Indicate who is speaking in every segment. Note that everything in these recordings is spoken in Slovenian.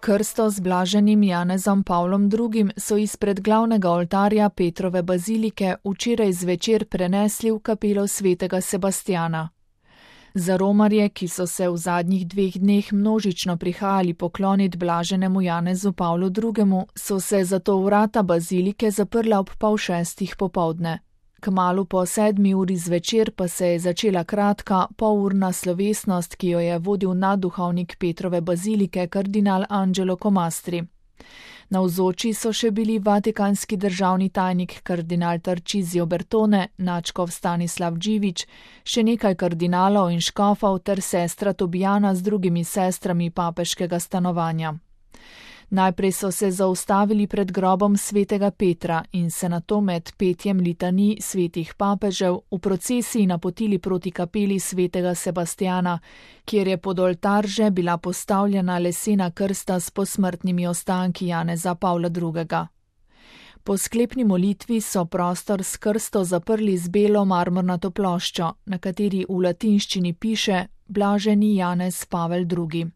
Speaker 1: Krsto z blaženim Janezom Pavlom II. So izpred glavnega oltarja Petrove bazilike včeraj zvečer prenesli v kapelo svetega Sebastjana. Za romarje, ki so se v zadnjih 2 dneh množično prihajali poklonit blaženemu Janezu Pavlu II., so se zato vrata bazilike zaprla ob 5:30 popoldne. Kmalu po 7 uri zvečer pa se je začela kratka, polurna slovesnost, ki jo je vodil nadduhovnik Petrove bazilike kardinal Angelo Comastri. Navzoči so še bili vatikanski državni tajnik kardinal Tarcisio Bertone, nadškof Stanislav Dživič, še nekaj kardinalov in škofov ter sestra Tobijana z drugimi sestrami papeškega stanovanja. Najprej so se zaustavili pred grobom svetega Petra in se nato med petjem litanij svetih papežev v procesiji napotili proti kapeli svetega Sebastjana, kjer je pod oltar že bila postavljena lesena krsta s posmrtnimi ostanki Janeza Pavla II. Po sklepni molitvi so prostor s krsto zaprli z belo marmornato ploščo, na kateri v latinščini piše Blaženi Janez Pavel II.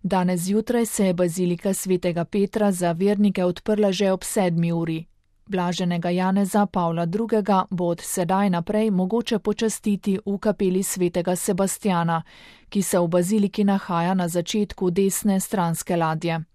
Speaker 1: Danes zjutraj se je bazilika svetega Petra za vernike odprla že ob 7 uri. Blaženega Janeza Pavla II. Bo od sedaj naprej mogoče počastiti v kapeli svetega Sebastjana, ki se v baziliki nahaja na začetku desne stranske ladje.